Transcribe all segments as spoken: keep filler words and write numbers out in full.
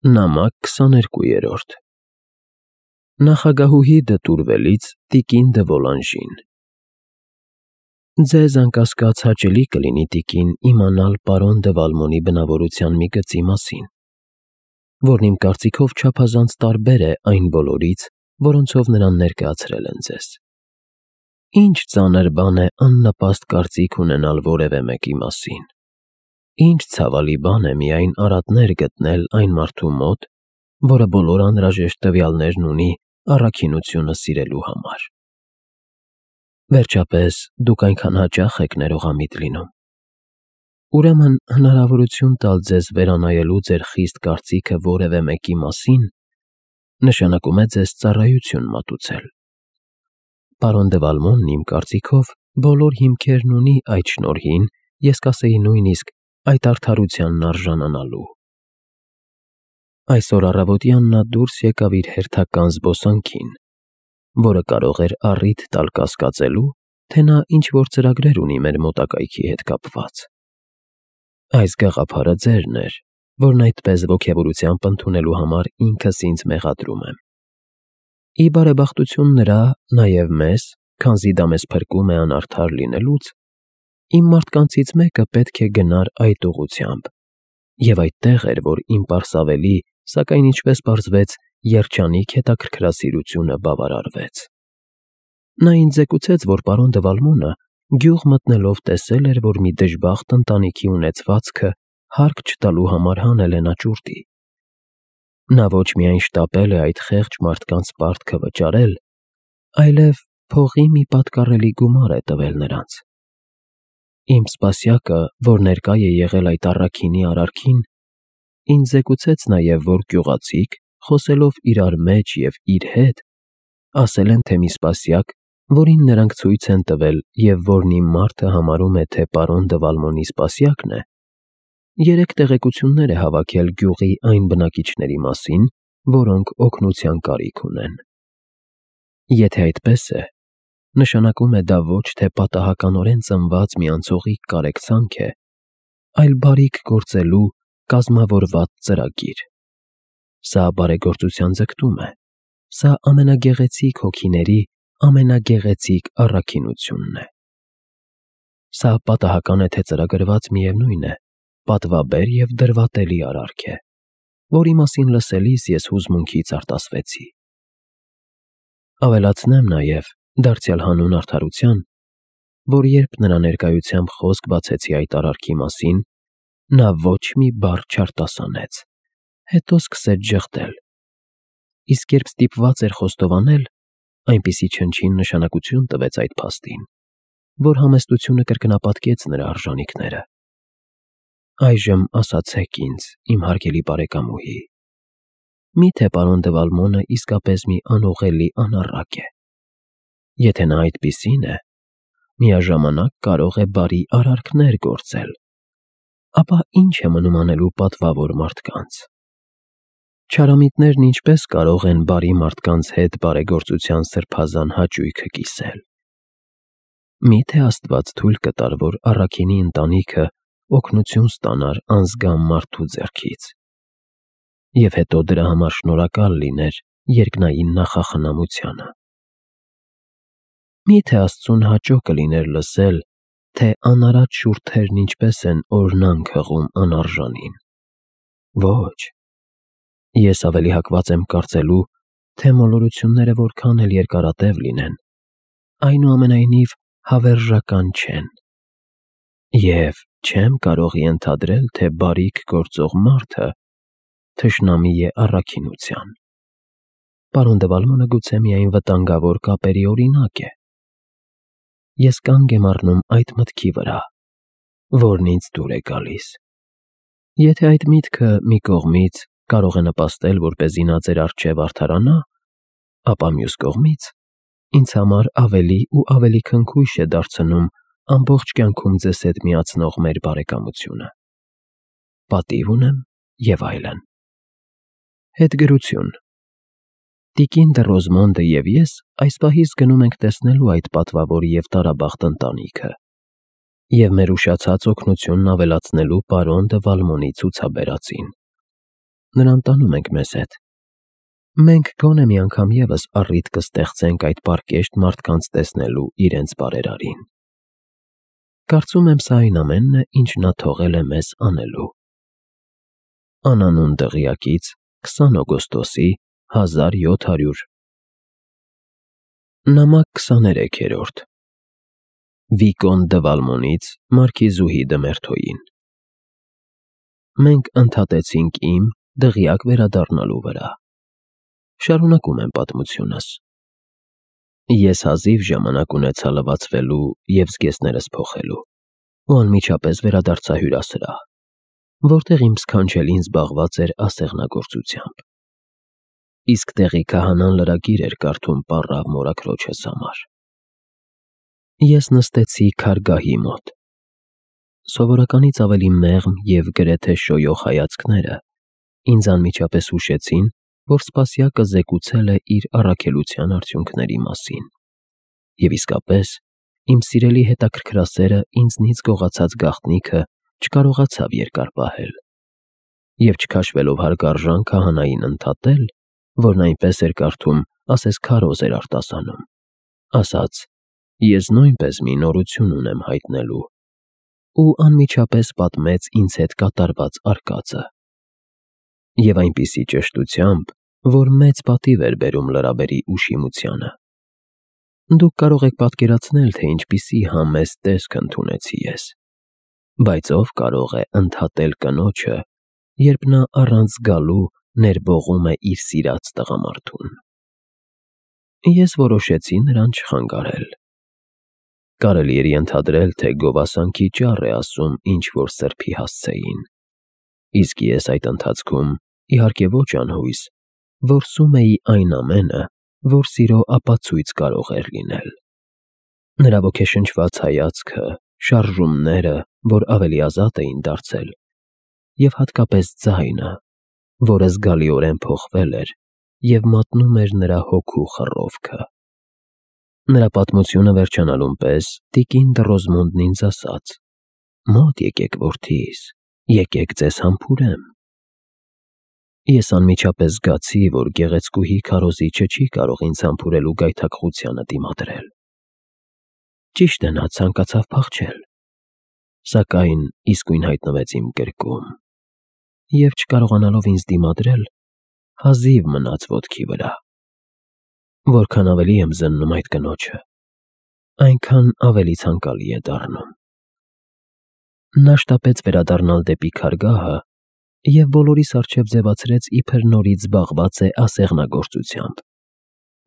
Նամակ քսաներկուերորդ Նախագահուհի դտուրվելից տիկին դը Վոլանժին Ձեզ անկասկած հաճելի կլինի, տիկին, իմանալ պարոն դը Վալմոնի բնավորության մի գծի մասին, որն իմ կարծիքով չափազանց տարբեր է այն բոլորից, որոնցով նրան ներկայացրել են ձեզ։ Ինչ ծանր բան է աննպաստ կարծիք ունենալ որևէ մեկի մասին։ Ինչ ցավալի բան է միայն արատներ գտնել այն մարդու մոտ, որը բոլոր անհրաժեշտ տվյալներն ունի առաքինությունը սիրելու համար։ Վերջապես, դուք այնքան հաճախ եք ներողամիտ լինում։ Ուրեմն հնարավորություն տալ ձեզ վերանայելու ձեր խիստ կարծիքը որևէ մեկի մասին, նշանակում է ձեզ ծառայություն մատուցել։ Պարոն դը Վալմոնն իմ կարծիքով բոլոր հիմքերն ունի այդ շնորհին, ես կասեի նույնիսկ այդ արդարությանն արժանանալու։ Այսօր առավոտյան նա դուրս եկավ իր հերթական զբոսանքին, որը կարող էր առիթ տալ կասկածելու, թե նա ինչ-որ ծրագրեր ունի մեր մոտակայքի հետ կապված։ Այս գաղափարը ձերն էր, որն այդպես ոգևորությամբ ընդունելու համար ինքս ինձ մեղադրում եմ։ Ի բարեբախտություն նրա, նաև մեզ, քանզի դա մեզ փրկում է անարդար լինելուց, իմ մարդկանցից մեկը պետք է գնար այդ ուղղությամբ, և այդտեղ էր, որ իմ պարսավելի, սակայն ինչպես պարզվեց, երջանիկ հետաքրքրասիրությունը բավարարվեց։ Նա ինձ զեկուցեց, որ պարոն դը Վալմոնը գյուղ մտնելով տեսել էր, որ մի դժբախտ ընտանիքի ունեցվածքը հարկ չտալու համար հանել են աճուրդի։ Նա ոչ միայն շտապել է այդ խեղճ մարդկանց պարտքը վճարել, այլև փողի մի պատկառելի գումար է տվել նրանց։ Իմ սպասյակը, որ ներկա է եղել այդ առաքինի արարքին, ինձ զեկուցեց նաև, որ գյուղացիք, խոսելով իրար մեջ և իր հետ, ասել են, թե մի սպասյակ, որին նրանք ցույց են տվել և որն իմ մարդը համարում է, թե պարոն դը Վալմոնի սպասյակն է, երեք տեղեկություններ է հավաքել գյուղի այն բնակիչների մասին, որոնք օգնության կարիք ունեն։ Եթե այդպես է, նշանակում է դա ոչ թե պատահականորեն ծնված մի անցողիկ կարեկցանք է, այլ բարիք գործելու կազմավորված ծրագիր։ Սա բարեգործության ձգտում է, սա ամենագեղեցիկ հոգիների ամենագեղեցիկ առաքինությունն է։ Սա պատահական է, թե ծրագրված միևնույն է, պատվաբեր և դրվատելի արարք է, որի մասին լսելիս ես հուզմունքից արտասվեցի։ Ավելացնեմ նաև, դարձյալ հանուն արդարության, որ երբ նրա ներկայությամբ խոսք բացեցի այդ արարքի մասին, նա ոչ մի բառ չարտասանեց, հետո սկսեց ժխտել, իսկ երբ ստիպված էր խոստովանել, այնպիսի չնչին նշանակություն տվեց այդ փաստին, որ համեստությունը կրկնապատկեց նրա արժանիքները։ Այժմ ասացեք ինձ, իմ հարգելի բարեկամուհի, մի՞թե պարոն դը Վալմոնը իսկապես մի անուղղելի անառակ է։ Եթե նա այդպիսին է, միաժամանակ կարող է բարի արարքներ գործել, ապա ի՞նչ է մնում անելու պատվավոր մարդկանց։ Չարամիտներն ինչպե՞ս կարող են բարի մարդկանց հետ բարեգործության սրբազան հաճույքը կիսել։ Մի՞թե Աստված թույլ կտար, որ առաքինի ընտանիքը օգնություն ստանար անզգամ մարդու ձեռքից, և հետո դրա համար շնորհակալ լիներ երկնային նախախնամությանը։ Մի՞թե Աստծուն հաճո կլիներ լսել, թե անարատ շուրթերն ինչպես են օրհնանք հղում անարժանին։ Ոչ, ես ավելի հակված եմ կարծելու, թե մոլորությունները որքան էլ երկարատև լինեն, այնուամենայնիվ հավերժական չեն։ Եվ չեմ կարող ենթադրել, թե բարիք գործող մարդը թշնամի է առաքինության։ Պարոն դը Վալմոնը գուցե միայն վտանգավոր կապերի օրինակ է։ Ես կանգ եմ առնում այդ մտքի վրա, որն ինձ դուր է գալիս։ Եթե այդ միտքը մի կողմից կարող է նպաստել, որպեսզի նա ձեր առջև արդարանա, ապա մյուս կողմից ինձ համար ավելի ու ավելի քնքույշ է դարձնում ամբողջ կյանքում ձեզ հետ միացնող մեր բարեկամությունը։ Պատիվ ունեմ և այլն։ Հետգրություն։ Տիկին դը Ռոզմոնդը և ես այս պահից գնում ենք տեսնելու այդ պատվավոր և տարաբախտ ընտանիքը և մեր ուշացած օգնությունն ավելացնելու պարոն դը Վալմոնի ցուցաբերածին։ նրան տանում ենք մեզ հետ։ Մենք գոնե մի անգամ ևս առիթ կստեղծենք այդ պարկեշտ մարդկանց տեսնելու իրենց բարերարին։ Կարծում եմ սա այն ամենն է, ինչ նա թողել է մեզ անելու։ Անանուն դղյակից քսան օգոստոսի հազար յոթ հարյուր Նամակ քսաներեքերորդ Վիկոն դը Վալմոնից Մարքիզուհի դը Մերթոյին Մենք ընդհատեցինք իմ դղյակ վերադառնալու վրա։ Շարունակում եմ պատմությունս։ Ես հազիվ ժամանակ ունեցա լվացվելու և զգեստներս փոխելու ու անմիջապես վերադարձա հյուրասրահ, որտեղ իմ սքանչելին զբաղված էր ասեղնագործությամբ։ Իսկ տեղի քահանան լրագիր էր կարդում պառավ մորաքրոջս համար։ Ես նստեցի քարգահի մոտ։ Սովորականից ավելի մեղմ և գրեթե շոյող հայացքները ինձ անմիջապես հուշեցին, որ սպասյակը զեկուցել է իր առաքելության արդյունքների մասին, և իսկապես իմ սիրելի հետաքրքրասերը ինձնից գողացած գաղտնիքը չկարողացավ երկար պահել, և չքաշվելով հարգարժան քահանային ընդհատել, որն այնպես էր կարդում, ասես քարոզ էր արտասանում, ասաց. «Ես նույնպես մի նորություն ունեմ հայտնելու», ու անմիջապես պատմեց ինձ հետ կատարված արկածը։ Եվ այնպիսի ճշտությամբ, որ մեծ պատիվ էր բերում լրաբերի ուշիմությանը։ Դուք կարող եք պատկերացնել, թե ինչպիսի համեստ տեսք ընդունեցի ես, բայց ով կարող է ընդհատել կնոջը, երբ նա առանց զգալու ներբողում է իր սիրած տղամարդուն։ Ես որոշեցի նրան չխանգարել։ Կարելի էր ենթադրել, թե գովասանքի ճառ է ասում ինչ-որ սրբի հասցեին, իսկ ես այդ ընթացքում, իհարկե ոչ անհույս, որսում էի այն ամենը, որ սիրո ապացույց կարող էր լինել։ Նրա ոգեշնչված հայացքը, շարժումները, որ ավելի ազատ էին դարձել, և հատկապես ձայնը, որը զգալիորեն փոխվել էր և մատնում էր նրա հոգու խռովքը։ Նրա պատմությունը վերջանալուն պես տիկին Դռոզմոնդն ինձ ասաց. «Մոտ եկեք, որդիս, եկեք ձեզ համբուրեմ»։ Ես անմիջապես զգացի, որ գեղեցկուհի քարոզիչը չի կարող ինձ համբուրելու գայթակղությանը դիմադրել։ Ճիշտ է, նա ցանկացավ փախչել, սակայն իսկույն հայտնվեց իմ գրկում, և չկարողանալով ինձ դիմադրել, հազիվ մնաց ոտքի վրա։ Որքան ավելի եմ զննում այդ կնոջը, այնքան ավելի ցանկալի է դառնում։ Նա շտապեց վերադառնալ դեպի քարգահը և բոլորիս առջև ձևացրեց, իբր նորից զբաղված է ասեղնագործությամբ,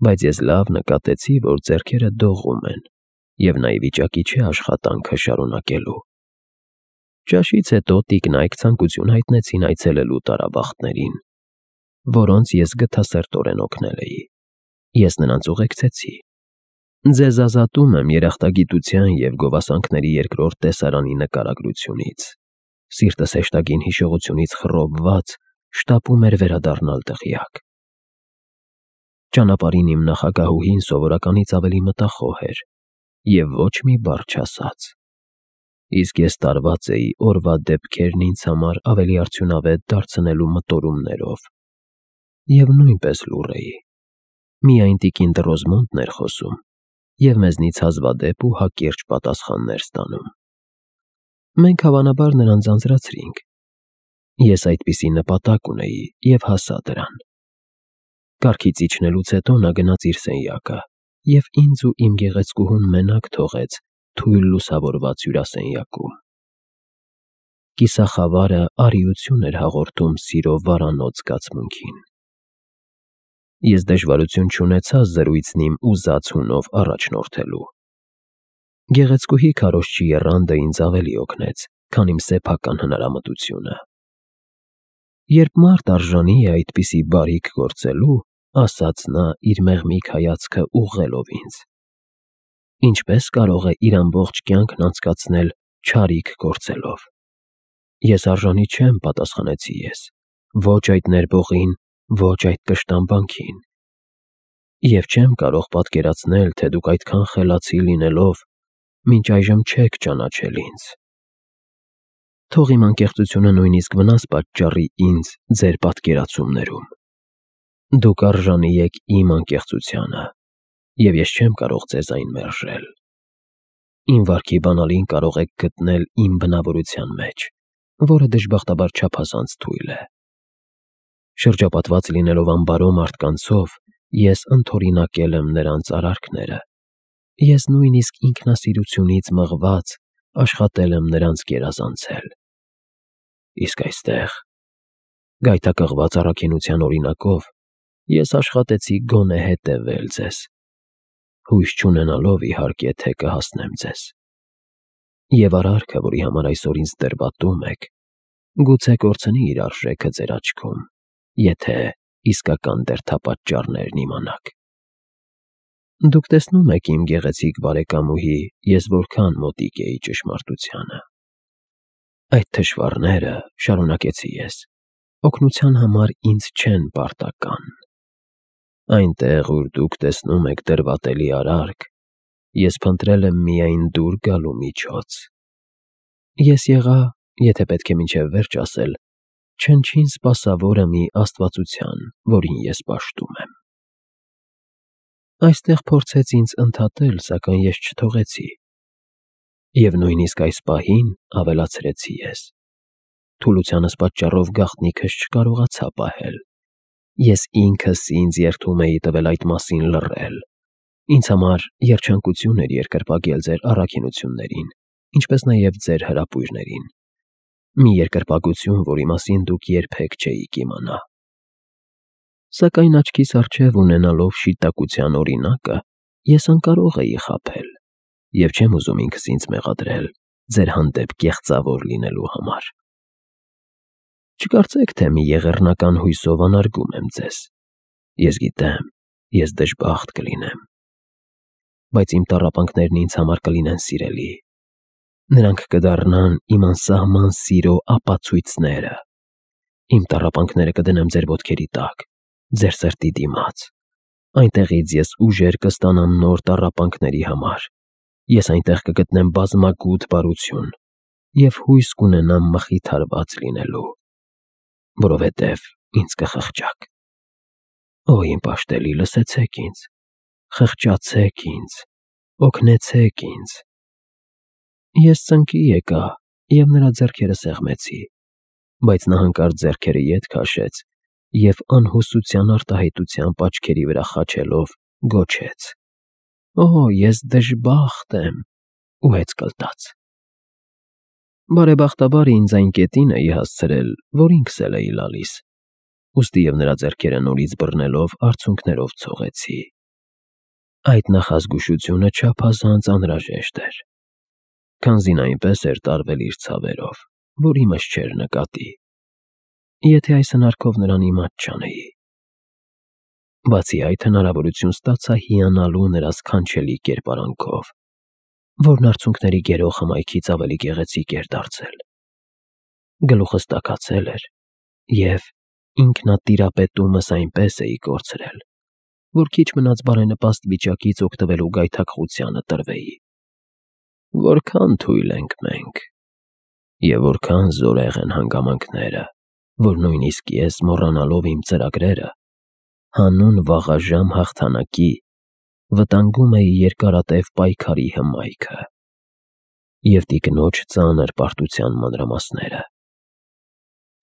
բայց ես լավ նկատեցի, որ ձեռքերը դողում են, և նա ի վիճակի չէ աշխատանքը շարունակելու։ Ճաշից հետո տիկնայք ցանկություն հայտնեցին այցելելու տարաբախտներին, որոնց ես գթասրտորեն օգնել էի։ Ես նրանց ուղեկցեցի։ Ձեզ ազատում եմ երախտագիտության և գովասանքների երկրորդ տեսարանի նկարագրությունից։ Սիրտս հեշտագին հիշողությունից խռովված շտապում էր վերադառնալ դղյակ։ Ճանապարհին իմ նախագահուհին սովորականից ավելի մտախոհ էր և ոչ մի բառ չասաց, իսկ ես տարված էի օրվա դեպքերն ինձ համար ավելի արդյունավետ դարձնելու մտորումներով և նույնպես լուռ էի։ Միայն տիկին Դռոզմոնդն էր խոսում և մեզնից հազվադեպ ու հակիրճ պատասխաններ ստանում։ Մենք հավանաբար նրան ձանձրացրինք։ Ես այդպիսի նպատակ ունեի և հասա դրան։ Կառքից իջնելուց հետո նա գնաց իր սենյակը և ինձ ու իմ գեղեցկուհուն մենակ թողեց թույլ լուսավորված հյուրասենյակում։ Կիսախավարը արիություն էր հաղորդում սիրո վարանոց զգացմունքին։ Ես դժվարություն չունեցա զրույցն իմ ուզած հունով առաջնորդելու։ Գեղեցկուհի քարոզչի եռանդը ինձ ավելի օգնեց, քան իմ սեփական հնարամտությունը։ Երբ մարդ արժանի է այդպիսի բարիք գործելու, ասաց նա իր մեղմիկ հայացքը ուղղելով ինձ, ինչպե՞ս կարող է իր ամբողջ կյանքն անցկացնել չարիք գործելով։ Ես արժանի չեմ, պատասխանեցի ես, ոչ այդ ներբողին, ոչ այդ կշտամբանքին։ Եվ չեմ կարող պատկերացնել, թե դուք այդքան խելացի լինելով, մինչ այժմ չեք ճանաչել ինձ։ Թող իմ անկեղծությունը նույնիսկ վնաս պատճառի ինձ ձեր պատկերացումներում։ Դուք արժանի եք իմ անկեղծությանը, և ես չեմ կարող ձեզ այն մերժել։ Իմ վարքի բանալին կարող եք գտնել իմ բնավորության մեջ, որը դժբախտաբար չափազանց թույլ է։ Շրջապատված լինելով անբարո մարդկանցով, ես ընդօրինակել եմ նրանց արարքները, ես նույնիսկ ինքնասիրությունից մղված աշխատել եմ նրանց գերազանցել։ Իսկ այստեղ, գայթակղված առաքինության օրինակով, ես աշխատեցի գոնե հետևել ձեզ, հույս չունենալով, իհարկե, թե կհասնեմ ձեզ։ Եվ արարքը, որի համար այսօր ինձ տրվածում եք, գուցե կորցնի իր արժեքը ձեր աչքում, եթե իսկական դերդապատճառներն իմանաք։ Դուք տեսնում եք, իմ գեղեցիկ բարեկամուհի, ես որքան մոտիկ էի ճշմարտությանը։ Այդ թշվառները, շարունակեցի ես, օգնության համար ինձ չեն պարտական։ Այնտեղ, ուր դուք տեսնում եք դրվատելի արարք, ես փնտրել եմ միայն դուր գալու միջոց։ Ես եղա, եթե պետք է մինչև վերջ ասել, չնչին սպասավորը մի աստվածության, որին ես պաշտում եմ։ Այստեղ փորձեց ինձ ընդհատել, սակայն ես չթողեցի։ Եվ նույնիսկ այս պահին, ավելացրեցի ես, թուլությանս պատճառով գաղտնիքս չկարողացա պահել։ Ես ինքս ինձ երդում էի տվել այդ մասին լռել։ Ինձ համար երջանկություն էր երկրպագել ձեր առաքինություններին, ինչպես նաև ձեր հրապույրներին։ Մի երկրպագություն, որի մասին դուք երբեք չէիք իմանա։ Սակայն աչքիս առջև ունենալով շիտակության օրինակը, ես անկարող էի խաբել, և չեմ ուզում ինքս ինձ մեղադրել ձեր հանդեպ կեղծավոր լինելու համար։ Չկարծեք, թե մի եղեռնական հույսով անարգում եմ ձեզ։ Ես գիտեմ, ես դժբախտ կլինեմ։ Բայց իմ տառապանքներն ինձ համար կլինեն սիրելի։ Նրանք կդառնան իմ անսահման սիրո ապացույցները։ Իմ տառապանքները կդնեմ ձեր ոտքերի տակ, ձեր սրտի դիմաց։ Այնտեղից ես ուժեր կստանամ նոր տառապանքների համար։ Ես այնտեղ կգտնեմ բազմագութ բարություն և հույս կունենամ մխիթարված լինելու, որովհետև ինձ կխղճաք։ Օ, իմ պաշտելի, լսեցեք ինձ, խղճացեք ինձ, օգնեցեք ինձ։ Ես ծնկի եկա և նրա ձեռքերը սեղմեցի, բայց նա հանկարծ ձեռքերը ետ քաշեց և անհուսության արտահայտությամբ աչքերի վրա խաչելով գոչեց. «Օ, ես դժբախտ եմ» ու հեծ կլտաց։ Բարեբախտաբար ինձ այն կետին էի հասցրել, որ ինքս էլ էի լալիս, ուստի և նրա ձեռքերը նորից բռնելով արցունքներով ցողեցի։ Այդ նախազգուշությունը չափազանց անհրաժեշտ էր, քանզի նա այնպես էր տարվել իր ցավերով, որ իմս չէր նկատի, եթե այս հնարքով նրան իմաց չանեի։ Բացի այդ, հնարավորություն ստացա հիանալու նրա սքանչելի կերպարանքով, որն արցունքների գերող հմայքից ավելի գեղեցիկ էր դարձել։ Գլուխս տաքացել էր, և ինքնատիրապետումս այնպես էի կորցրել, որ քիչ մնաց բարենպաստ վիճակից օգտվելու գայթակղությանը տրվեի։ Որքան թույլ ենք մենք, և որքան զորեղ են հանգամանքները, որ նույնիսկ ես, մոռանալով իմ ծրագրերը, հանուն վաղաժամ հաղթանակի, վտանգում էի երկարատև պայքարի հմայքը և տիկնոջ ծանր պարտության մանրամասները։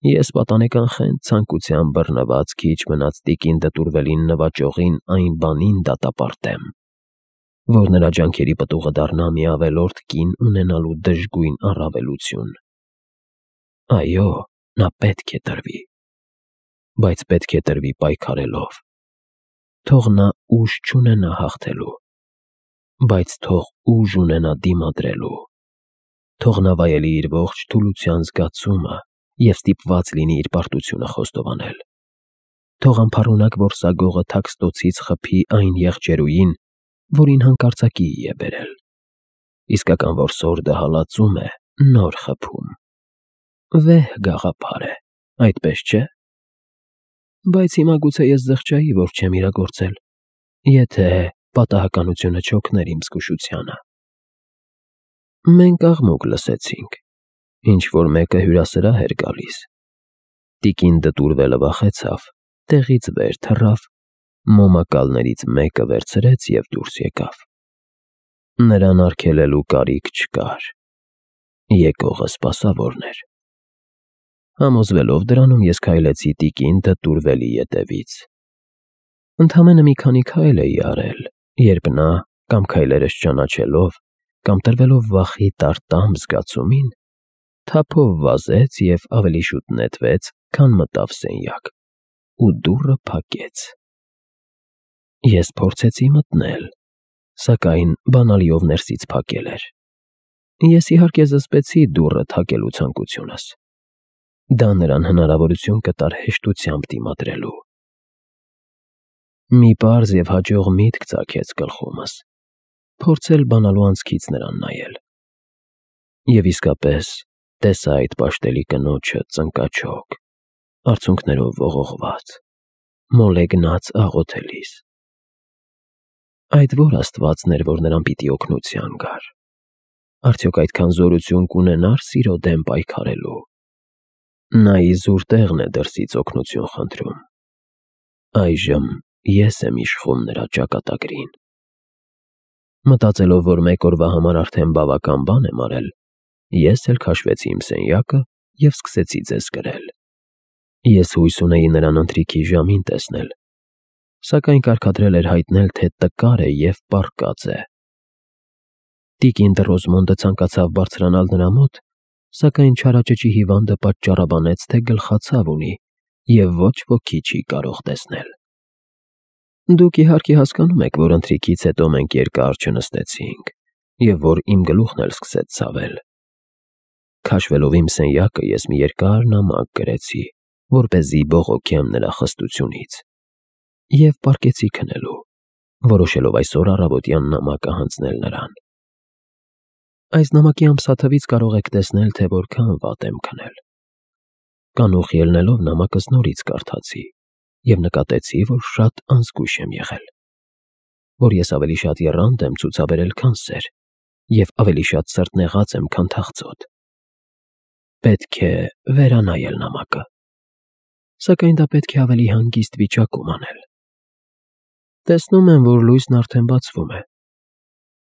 Ես պատանեկան խենթ ցանկությամբ բռնված քիչ մնաց տիկին դտուրվելին նվաճողին այն բանին դատապարտեմ, որ նրա ջանքերի պտուղը դառնա մի ավելորդ կին ունենալու դժգույն առավելություն։ Այո, նա պետք է տրվի, բայց պետք է տրվի պայքարելով։ Թող նա ուժ չունենա հաղթելու, բայց թող ուժ ունենա դիմադրելու։ Թող նա վայելի իր ողջ թուլության զգացումը և ստիպված լինի իր պարտությունը խոստովանել։ Թող անփառունակ որսագողը թաքստոցից խփի այն եղջերուին, որին հանկարծակիի է բերել։ Իսկական որսորդը հալածում է նոր խփում։ Վեհ գաղափար է, այդպես չէ՞։ Բայց հիմա գուցե ես զղջայի, որ չեմ իրագործել, եթե պատահականությունը չօգներ իմ զգուշությանը։ Մենք աղմուկ լսեցինք, Ինչ-որ մեկը հյուրասրահ էր գալիս։ Տիկին դտուրվելը վախեցավ, տեղից վեր թռավ, մոմակալներից մեկը վերցրեց և դուրս եկավ։ Նրան արգելելու կարիք չկար։ Եկողը սպասավորն էր։ Համոզվելով դրանում, ես քայլեցի տիկին դտուրվելի ետևից։ Ընդամենը մի քանի քայլ էի արել, երբ նա, կամ քայլերս չճանաչելով, կամ տրվելով վախի տարտամ զգացումին, թափով վազեց և ավելի շուտ նետվեց, քան մտավ սենյակ, ու դուռը փակեց։ Ես փորձեցի մտնել, սակայն բանալիով ներսից փակել էր։ Ես իհարկե զսպեցի դուռը թակելու ցանկությունս։ Դա նրան հնարավորություն կտար հեշտությամբ դիմադրելու։ Մի պարզ և հաջող միտք ծագեց գլխումս՝ փորձել բանալու անցքից նրան նայել։ Եվ իսկապես տեսա այդ պաշտելի կնոջը ծնկաչոք, արցունքներով ողողված, մոլեգնած աղոթելիս։ Այդ ո՞ր աստվածն էր, որ նրան պիտի օգնության գար։ Արդյոք այդքան զորություն կունենա՞ր սիրո դեմ պայքարելու։ Նա իզուր տեղն է դրսից օգնություն խնդրում։ Այժմ ես եմ իշխում նրա ճակատագրին։ Մտածելով, որ մեկ օրվա համար արդեն բավական բան եմ արել, ես էլ քաշվեցի իմ սենյակը և սկսեցի ձեզ կրել։ Ես հույս ունեի նրան ընթրիքի ժամին տեսնել, սակայն կարգադրել էր հայտնել, թե տկար է և պառկած է։ Տիկին Դռոզմոնդը ցանկացավ բարձրանալ նրա մոտ, սակայն չարաճճի հիվանդը պատճառաբանեց, թե գլխացավ ունի և ոչ ոքի չի կարող տեսնել։ Դուք իհարկե հասկանում եք, որ ընթրիքից հետո մենք երկար չնստեցինք, և որ իմ գլուխն էլ սկսեց ցավել։ Քաշվելով իմ սենյակը, ես մի երկար նամակ գրեցի, որպեսզի բողոքեմ նրա խստությունից, և պառկեցի քնելու, որոշելով այսօր առավոտյան նամակը հանձնել նրան։ Այս նամակի ամսաթվից կարող եք տեսնել, թե որքան վատ եմ քնել։ Կանուխ ելնելով նամակս նորից կարդացի և նկատեցի, որ շատ անզգույշ եմ եղել, որ ես ավելի շատ եռանդ եմ ցուցաբերել, քան սեր, և ավելի շատ սրտնեղած եմ, քան թախծոտ։ Պետք է վերանայել նամակը, սակայն դա պետք է ավելի հանգիստ վիճակում անել։ Տեսնում եմ, որ լույսն արդեն բացվում է,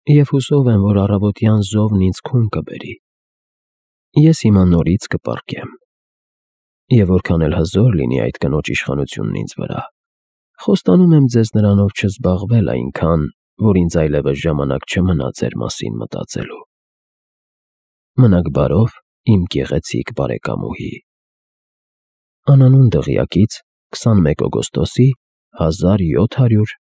և հուսով եմ, որ առավոտյան զովն ինձ քուն կբերի։ Ես հիմա նորից կպառկեմ։ Եվ որքան էլ հզոր լինի այդ կնոջ իշխանությունն ինձ վրա, խոստանում եմ ձեզ նրանով չզբաղվել այնքան, որ ինձ այլևս ժամանակ չմնա ձեր մասին մտածելու։ Մնաք բարով, իմ գեղեցիկ բարեկամուհի։ Անանուն դղյակից քսանմեկ օգոստոսի հազար յոթ հարյուր